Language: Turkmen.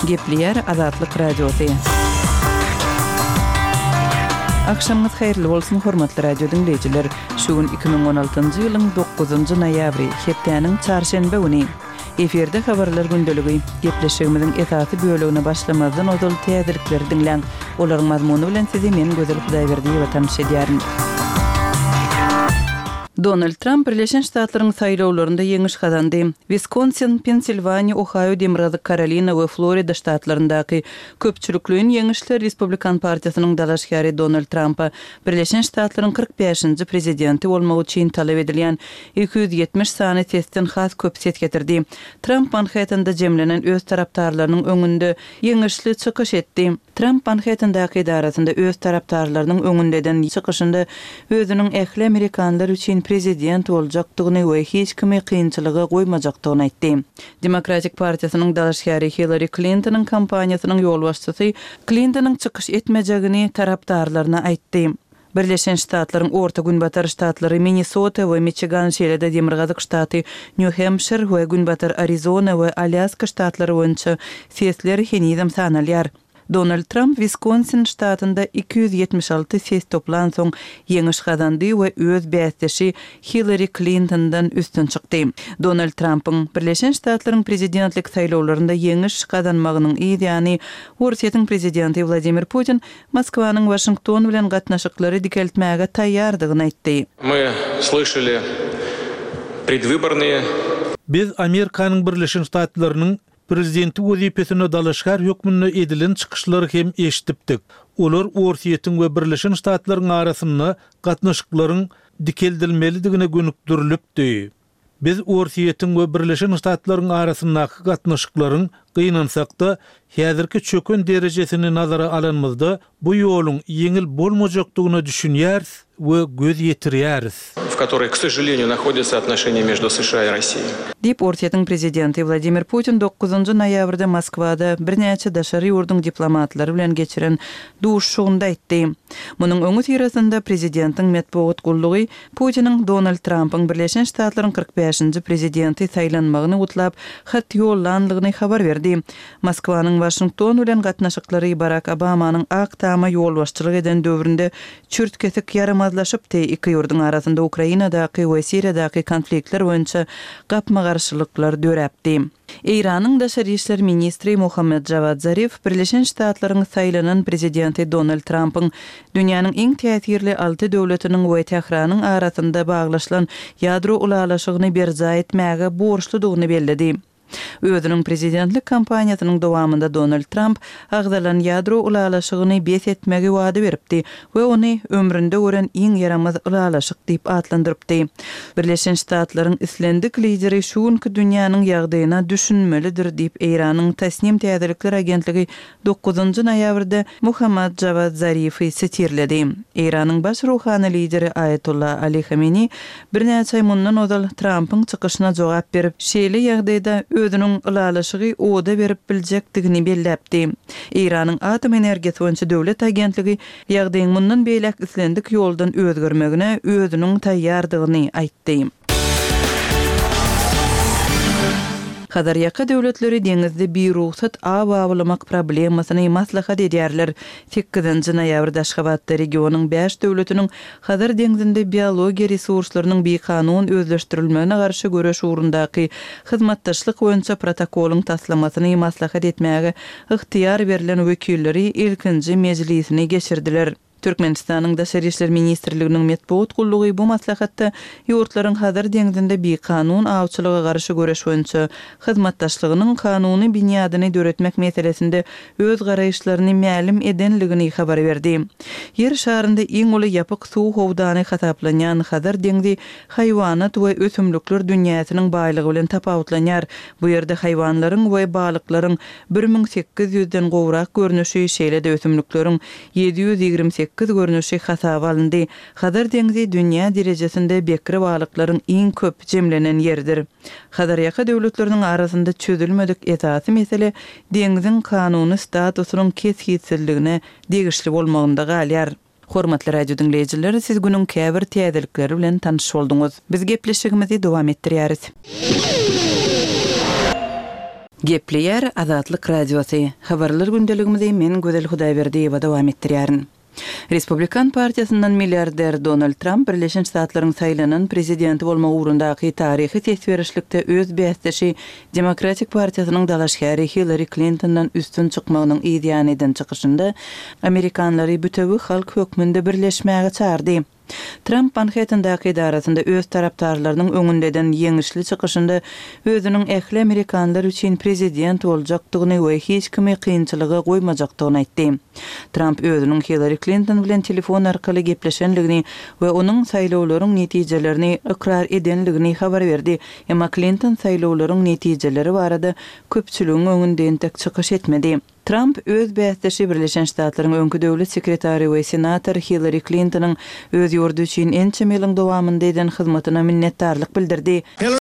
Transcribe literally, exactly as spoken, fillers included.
Gepleýär Azatlyk Radiosy. Akşamyňyz haýyrly bolsun, hormatly radio diňleýjiler. Şu gün iki müň on altynjy ýylyň dokuzynjy noýabry, hepdäniň çarşenbe güni. Efirde habarlar gündeligi. Gepleşigimiziň esasy bölegine başlamazdan ozal täzelikleri diňläň. Olaryň mazmuny bilen sizi men Gözel Hudaýberdiýewa tanyş edýärin. Donald Tramp Birleşen Ştatlaryň saýlawlarynda ýeňiş gazandy. Wiskonsin, Pensilwaniýa, Ohaýo, Demirgazyk Karolina we Florida ştatlaryndaky köpçülikleýin ýeňişler Respublikan partiýasynyň dalaşgäri Donald Trampa Birleşen Ştatlaryň kyrk bäşinji prezidenti bolmak üçin talap edilýän iki ýüz ýetmiş sany sesden has köp ses getirdi. Tramp Manhattanda jemlenen öz tarapdarlarynyň öňünde ýeňişli çykyş etdi. Tramp Manhattandaky edarasynda öz tarapdarlarynyň öňünde eden çykyşynda özüniň ähli amerikanlar üçin prezident boljakdygyny we hiç kimi kynçylyga goýmajakdygyny aýtdy. Demokratik partiýasynyň dalaşgäri Hillary Klintonyň kampaniýasynyň ýolbaşçysy Klintonyň çykyş etmejegini tarapdarlaryna aýtdy. Birleşen Ştatlaryň Orta Günbatar ştatlary Minnesota we Michigan, şeýle-de Demirgazyk ştaty Nýu-Hempşir we Günbatar Arizona we Alýaska ştatlary boýunça sesler henizem sanalýar. Donald Tramp Wiskonsin ştatynda iki ýüz ýetmiş alty ses toplansoň ýeňiş gazandy we öz bäsdeşi Hillary Klintondan üstün çykdy. Donald Trampyň Birleşen Ştatlaryň prezidentlik saýlawlarynda ýeňiş gazanmagynyň yz ýany Orsýetiň prezidenti Wladimir Putin Moskwanyň Waşington bilen gatnaşyklary dikeltmäge taýýardygyny aýtdy. Мы слышали предвыборные Biz Amerikanyň Birleşen Ştatlarynyň prezidenti wezipesine dalaşgär hökmünde edilen çykyşlary hem eşitipdik. Olar Orsýetiň we Birleşen Ştatlaryň arasynda gatnaşyklaryň dikeldilmelidigine gönükdirilipdi. Biz Orsýetiň we Birleşen Ştatlaryň arasyndaky gatnaşyklaryň gynansakda häzirki çöken derejesini nazara alanymyzda bu ýoluň ýeňil bolmajakdygyna düşünýäris we göz ýetirýäris. В которой, к сожалению, находятся отношения между США и Россией. Diýip Orsýetiň prezidenti Wladimir Putin dokuzynjy noýabrda Moskwada birnäçe daşary ýurduň diplomatlary bilen geçiren duşuşygynda aýtdy. Munuň öňi syrasynda prezidentiň metbugat gullugy Putiniň Donald Trampyň Birleşen Ştatlaryň kyrk bäşinji prezidenti saýlanmagyny gutlap hat ýollanlygyny habar berdi. Moskwanyň Waşington bilen gatnaşyklary Barack Obamanyň Ak Tama ýolbaşçylyk eden döwründe çürt-kesik ýaramazlaşypdy. Iki ýurduň arasynda Ukrainadaky we Siriýadaky konfliktler boýunça gapma-garşylyklar döräpdi. Eýranyň daşary işler ministri Muhammed Javad Zarif Birleşen Ştatlaryň saýlanan prezidenti Donald Trampyň dünýäniň iň täsirli alty döwletiniň we Tähranyň arasynda baglaşylan ýadro ulalaşygyny berjaý etmäge borçludygyny belledi. Özüniň prezidentlik kampaniýasynyň dowamynda Donald Tramp agzalan ýadro ulalaşygyny bes etmegi wada beripdi we ony ömründe gören iň ýaramaz ulalaşyk diýip atlandyrypdy. Birleşen Ştatlaryň islendik lideri şu günki dünýäniň ýagdaýyna düşünmelidir diýip Eýranyň Tasnim Täzelikler agentligi dokuzynjy noýabrda Muhammad Javad Zarifi sitirledi. Eýranyň baş ruhany lideri Aýatollah Ali Khamenei birnäçe aý mundan ozal Trampyň çykyşyna jogap berip, şeýle ýagdaýda özüniň ulalaşygy oda berip biljekdigini belläpdi. Eýranyň atom energiýasy boýunça döwlet agentligi ýagdaýyň mundan beýläk islendik ýoldan özgermegine özüniň taýýardygyny aýtdy. Hazarýaka döwletleri deňizde birugsat aw awlamak problemasyny maslahat edýärler. Sekizinji noýabrda Aşgabatda regionyň bäş döwletiniň Hazar deňzinde biologiýa resurslarynyň bikanun özleşdirilmegine garşy göreş ugrundaky hyzmatdaşlyk boýunça protokolyň taslamasyny maslahat etmäge ygtyýar berlen wekilleri ilkinji mejlisini geçirdiler. Türkmenistanyň Daşary işler ministrliginiň metbugat gullugy bu maslahatda ýurtlaryň Hazar deňzinde bikanun awçylyga garşy göreş boýunça hyzmatdaşlygynyň kanuny binýadyny döretmek meselesinde öz garaýyşlaryny mälim edenligini habar berdi. Ýer şarynda iň uly ýapyk suw howdany hasaplanýan Hazar deňzi haýwanat we ösümlikler dünýäsiniň baýlygy bilen tapawutlanýar. Bu ýerde haýwanlaryň we balyklaryň bir müň sekiz ýüzden gowrak görnüşi, şeýle-de ösümlikleriň ýedi ýüz ýigrimi sekiz görnüşi hasaba alyndy. Hazar deňzi dünýä derejesinde bekre balyklaryň iň köp jemlenen ýeridir. Hazarýaka döwletleriniň arasynda çözülmedik esasy mesele deňziň kanuny statusynyň kesgitsizligine degişli bolmagynda galýar. Hormatly radio diňleýjiler, siz günüň käbir täzelikleri bilen tanyş bolduňyz. Biz gepleşigimizi dowam etdirýäris. Gepleýär Azatlyk Radiosy. Habarlar gündeligimizi men Gözel Hudaýberdiýewa dowam etdirýärin. Respublikan partiýasyndan milliarder Donald Tramp Birleşen Ştatlaryň saýlanan prezidenti bolmak ugrundaky taryhy ses berişlikde öz bäsdeşi Demokratik partiýasynyň dalaşgäri Hillari Klintondan üstün çykmagynyň yzýany eden çykyşynda amerikanlary bütewi halk hökmünde birleşmäge çagyrdy. Tramp Manhettendaky edarasynda öz tarapdarlarynyň öňünde eden ýeňişli çykyşynda özüniň ähli amerikanlar üçin prezident boljakdygyny we hiç kimi kynçylyga goýmajakdygyny aýtdy. Tramp özüniň Hillari Klinton bilen telefon arkaly gepleşendigini we onuň saýlawlaryň netijelerini ykrar edendigini habar berdi. Emma Klinton saýlawlaryň netijeleri barada köpçüligiň öňünde entek çykyş etmedi. Tramp öz bäsdeşi Birleşen Ştatlaryň öňki döwlet sekretary we senator Hillari Klintonyň öz ýurdy üçin ençeme ýylyň dowamynda eden hyzmatyna minnetdarlyk bildirdi.